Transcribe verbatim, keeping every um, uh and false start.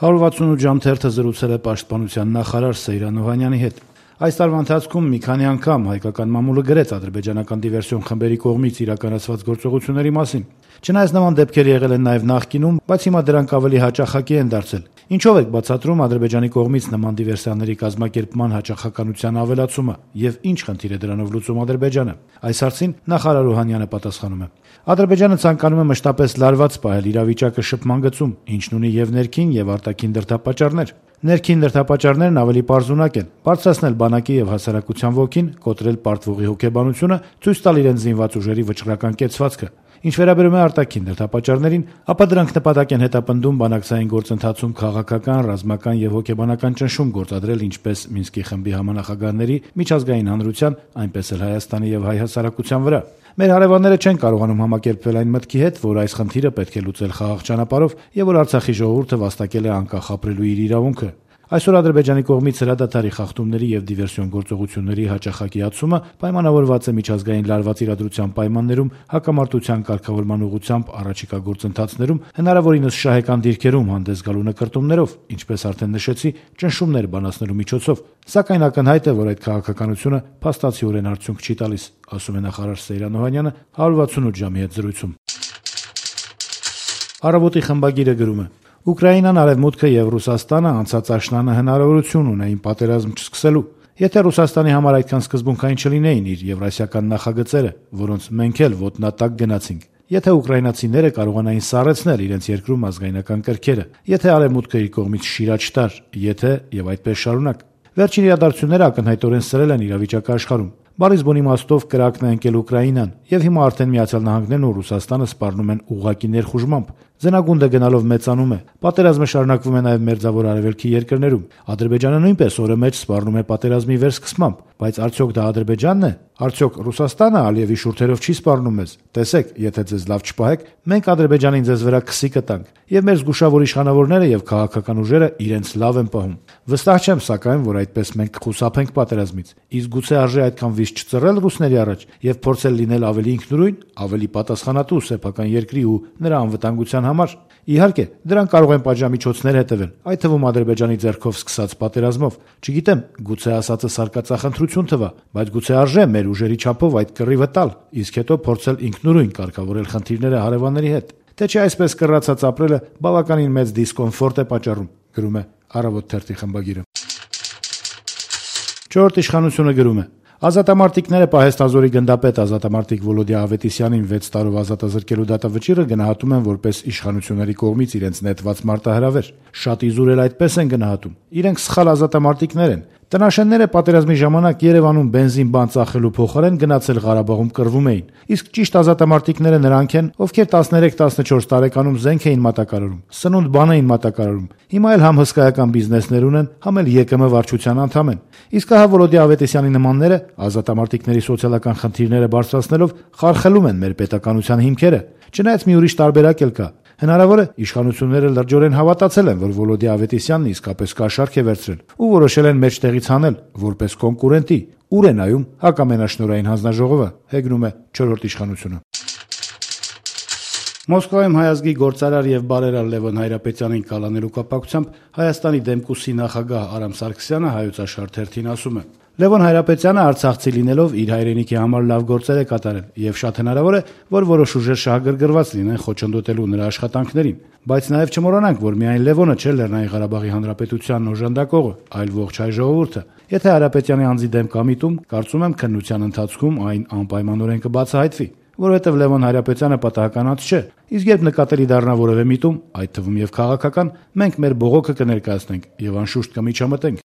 հարյուր վաթսունութ ժամ թերթը զրուցել է պաշտպանության նախարար Սեյրան Օհանյանի հետ։ Այս տարվա ընթացքում մի քանի անգամ հայկական մամուլը գրեց ադրբեջանական դիվերսիոն խմբերի կողմից իրականացված գործողությունների մասին։ Չնայած նման դեպքեր եղել են նաև նախկինում, բայց հիմա դրանք ավելի հաճախակի են դարձել։ Ինչով եք բացատրում Ադրբեջանի կողմից նման դիվերսիաների կազմակերպման հաճախականության ավելացումը եւ ինչ խնդիր է դրանով լուծում Ադրբեջանը։ Այս հարցին նախարար Օհանյանը պատասխանում է. Ադրբեջանը ցանկանում է մշտապես լարված պահել իրավիճակը շփման գծում, ինչն ունի եւ ներքին եւ արտաքին դրդապատճառներ։ Ներքին դրդապատճառներն ավելի պարզունակ են՝ բարձրացնել բանակի եւ հասարակության ոգին, կոտրել պարտվողի հոգեբանությունը, ցույց տալ իրենց զինված ուժերի վճռական կեցվածքը։ Ինչ վերաբերում է արտաքին դրդապատճառներին, ապա դրանք նպատակ են հետապնդում բանակցային գործընթացում քաղաքական, ռազմական եւ հոգեբանական ճնշում գործադրել ինչպես Մինսկի խմբի համանախագահների, միջազգային հանրության, այնպես էլ Հայաստանի եւ հայ հասարակության վրա։ Մեր հարևանները չեն կարողանում համակերպվել այն մտքի հետ, որ այս խնդիրը պետք է լուծել խաղաղ ճանապարհով եւ որ Արցախի ժողովուրդը վաստակել է անկախ ապրելու իր իրավունքը։ Այսօր Ադրբեջանի կողմից հրադադարի խախտումների եւ դիվերսիոն գործողությունների հաճախակիացումը պայմանավորված է միջազգային լարված իրադրության պայմաններում, հակամարտության կարգավորման ուղղությամբ առաջիկա գործընթացներում հնարավորինս շահեկան դիրքերում հանդես գալու նկրտումներով, ինչպես արդեն նշեցի, ճնշումներ բանացնելու միջոցով։ Սակայն ակնհայտ է, որ այդ քաղաքականությունը փաստացիորեն արդյունք չի տալիս, ասում է նախարար Սեյրան Օհանյանը հարյուր վաթսունութ ժամի հետ զրույցում։ Առավոտի խմբագիրը գրում է. Ուկրաինան, Արևմուտքը եւ Ռուսաստանը անցած աշնանը հնարավորություն ունեին պատերազմ չսկսելու։ Եթե Ռուսաստանի համար այդքան սկզբունքային չլինեին իր եվրասիական նախագծերը, որոնց մենք էլ ոտնատակ գնացինք, եթե ուկրաինացիները կարողանային սառեցնել իրենց երկրում ազգայնական կրքերը, եթե Արևմուտքը իր կողմից շիրաչ տար, եթե եւ այդպես շարունակ։ Վերջին իրադարձությունները ակնհայտորեն սրել են իրավիճակը աշխարհում։ Բարիս բուն իմաստով կրակն է ընկել Ուկրաինան, եւ հիմա արդեն Միացյալ Նահանգներն ու Ռուսաստանը սպառնում են ուղղակի ներխուժմամբ։ Ձնագունդը գնալով մեծանում է։ Պատերազմը շարունակվում է նաև Մերձավոր Արևելքի երկրներում։ Ադրբեջանը նույնպես օրը մեջ սպառնում է պատերազմի վերսկսմամբ, բայց արդյոք դա Ադրբեջանն է։ Արդյոք Ռուսաստանը Ալիևի շուրթերով չի սպառնում մեզ։ Տեսեք, եթե ձեզ լավ չպահեք, մենք Ադրբեջանին ձեզ վրա քսի կտանք, եւ մեր զգուշավոր իշխանավորները եւ քաղաքական ուժերը իրենց լավ են պահում։ Վստահ չեմ, սակայն, որ այդպես մենք կխուսափենք պատերազմից։ Իսկ գուցե արժե այդքան վիճ չծռել Ռուսների առաջ եւ փորձել լինել ավելի ինքնուրույն, ավելի պատասխանատու սեփական երկրի ու նրա անվտանգության համար։ Իհարկե, դրան կարող են պատժամիջոցներ հետևել, այդ թվում Ադրբեջանի ձեռքով սկսած պատերազմով։ Չգիտեմ, գուցե ասածը սարկածախնդրություն թվա, բայց գուցե արժե մեր ուժերի չափով այդ կռիվը տալ, իսկ հետո փորձել ինքնուրույն կարգավորել խնդիրները հարևանների հետ։ Թե չէ այսպես կռացած ապրելը բավականին մեծ դիսկոմֆորտ է պատճառում, գրում է Առավոտ թերթի խմբագիրը։ Չորրորդ իշխանությունը գրում է. Ազատամարտիկները պահեստազորի գնդապետ ազատամարտիկ Վոլոդիա Ավետիսյանին վեց տարով ազատազրկելու դատավճիռը գնահատում են որպես իշխանությունների կողմից իրենց նետված մարտահրավեր։ Շատ իզուր էլ այդպես են գնահատում։ Իրենք սխալ ազատամարտիկներ են։ Տնաշենները պատերազմի ժամանակ Երևանում բենզին բան ծախելու փոխարեն գնացել Ղարաբաղում կռվում էին։ Իսկ ճիշտ ազատամարտիկները նրանք են, ովքեր տասներեք տասնչորս տարեկանում զենք էին մատակարարում, սնունդ բան էին մատակարարում։ Հիմա էլ համ հսկայական բիզնեսներ ունեն, համ էլ ԵԿՄ վարչության անդամ են։ Իսկ ահա Վոլոդիա Ավետիսյանի նմանները ազատամարտիկների սոցիալական խնդիրները բարձրացնելով խարխելում են մեր պետականության հիմքերը։ Չնայած մի ուրիշ տարբերակ էլ կա։ Հնարավոր է իշխանությունները լրջորեն հավատացել են, որ Վոլոդիա Ավետիսյանն իսկապես կաշառք է վերցրել ու որոշել են մեջտեղից հանել որպես կոնկուրենտի։ Ուր է նայում հակամենաշնորհային հանձնաժողովը, հեգնում է չորրորդ իշխանությունը։ Մոսկվայում հայազգի գործարար եւ բարերար Լևոն Հայրապետյանին կալանելու կապակցությամբ Հայաստանի Դեմկուսի նախագահ Արամ Սարգսյանը Հայոց Աշխարհ թերթին ասում է. Լևոն Հայրապետյանը արցախցի լինելով իր հայրենիքի համար լավ գործեր է կատարել եւ շատ հնարավոր է, որ որոշ ուժեր շահագրգռված լինեն խոչընդոտելու նրա աշխատանքներին, բայց նաեւ չմոռանանք, որ միայն Լևոնը չէ Լեռնային Ղարաբաղի Հանրապետությանն օժանդակողը, այլ ողջ հայ ժողովուրդը։ Եթե Հայրապետյանի անձի դեմ կա միտում, կարծում եմ քննության ընթացքում այն անպայմանորեն կբացահայտվի, որովհետև Լևոն Հայրապետյանը պատահականած չէ, իսկ երբ նկատելի դառնա որևէ միտում, այդ թվում եւ քաղաքական, մենք մեր բողոքը կներկայացնենք եւ անշուշտ կմիջամտենք։